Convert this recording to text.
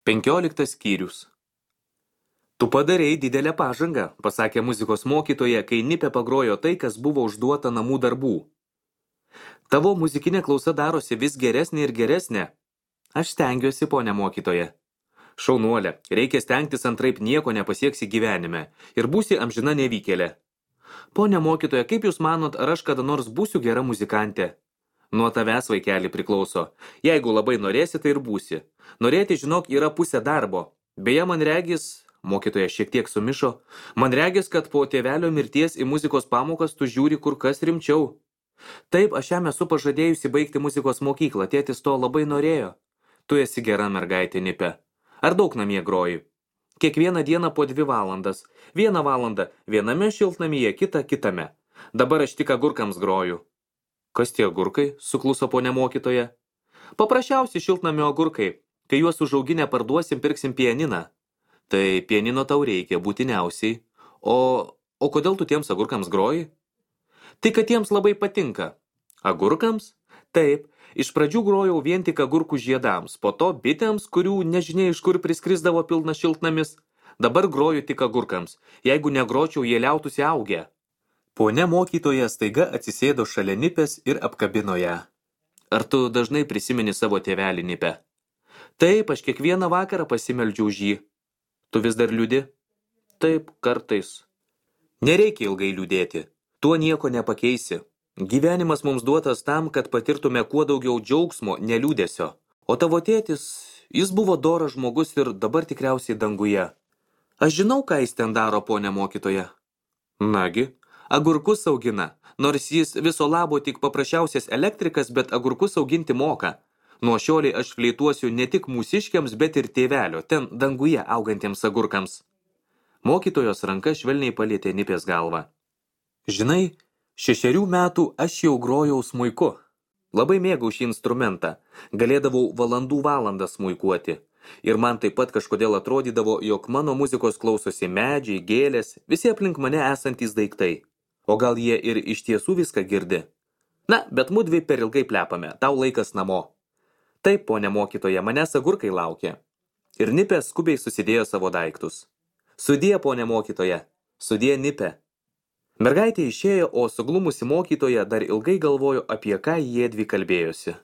15 skyrius. Tu padarei didelę pažangą, pasakė muzikos mokytoja, kai Nipė pagrojo tai, kas buvo užduota namų darbų. Tavo muzikinė klausa darosi vis geresnė ir geresnė. Aš stengiuosi, ponia mokytoja. Šaunuolė, reikia stengtis, antraip nieko nepasieksi gyvenime ir būsi amžina nevykėlė. Ponia mokytoja, kaip jūs manot, ar aš kada nors būsiu gera muzikantė? Nuo tavęs, vaikeli, priklauso. Jeigu labai norėsi, tai ir būsi. Norėti, žinok, yra pusė darbo. Beje, man regis, mokytoja šiek tiek sumišo, man regis, kad po tėvelio mirties į muzikos pamokas tu žiūri kur kas rimčiau. Taip, aš jam esu pažadėjusi baigti muzikos mokyklą, tėtis to labai norėjo. Tu esi gera mergaitė, Nipė. Ar daug namie groji? Kiekvieną dieną po 2 valandas. 1 valandą viename šiltnamyje, kitą kitame. Dabar aš tik agurkams groju. Kas tie agurkai? Sukluso ponia mokytoja. Paprasčiausi šiltnamio agurkai. Kai juos užauginę parduosim, pirksim pianiną. Tai pianino tau reikia, būtiniausiai. O kodėl tu tiems agurkams groji? Tai kad jiems labai patinka. Agurkams? Taip. Iš pradžių grojau vien tik agurkų žiedams, po to bitėms, kurių nežinia iš kur priskrisdavo pilnas šiltnamis. Dabar groju tik agurkams. Jeigu negročiau, jie liautųsi augę. Ponia mokytoja staiga atsisėdo šalia Nipės ir apkabino ją. Ar tu dažnai prisimeni savo tėvelį, Nipę? Taip, aš kiekvieną vakarą pasimeldžiu už jį. Tu vis dar liūdi? Taip, kartais. Nereikia ilgai liūdėti. Tuo nieko nepakeisi. Gyvenimas mums duotas tam, kad patirtume kuo daugiau džiaugsmo, neliūdesio. O tavo tėtis, jis buvo doras žmogus ir dabar tikriausiai danguje. Aš žinau, ką jis ten daro, ponia mokytoja. Nagi, agurkus augina, nors jis viso labo tik paprasčiausias elektrikas, bet agurkus auginti moka. Nuo šioliai aš fleituosiu ne tik mūsiškiams, bet ir tėvelio, ten danguje augantiems agurkams. Mokytojos ranka švelniai palietė Nipės galvą. Žinai, 6 metų aš jau grojau smuiku. Labai mėgau šį instrumentą. Galėdavau valandų smuikuoti. Ir man taip pat kažkodėl atrodydavo, jog mano muzikos klausosi medžiai, gėlės, visi aplink mane esantys daiktai. O gal jie ir iš tiesų viską girdi? Na, bet mudvi per ilgai plepame, tau laikas namo. Taip, ponia mokytoja, manęs agurkai laukia. Ir Nipė skubiai susidėjo savo daiktus. Sudie, ponia mokytoja, sudie, Nipė. Mergaitė išėjo, o suglumusi mokytoja dar ilgai galvojo, apie ką jiedvi kalbėjosi.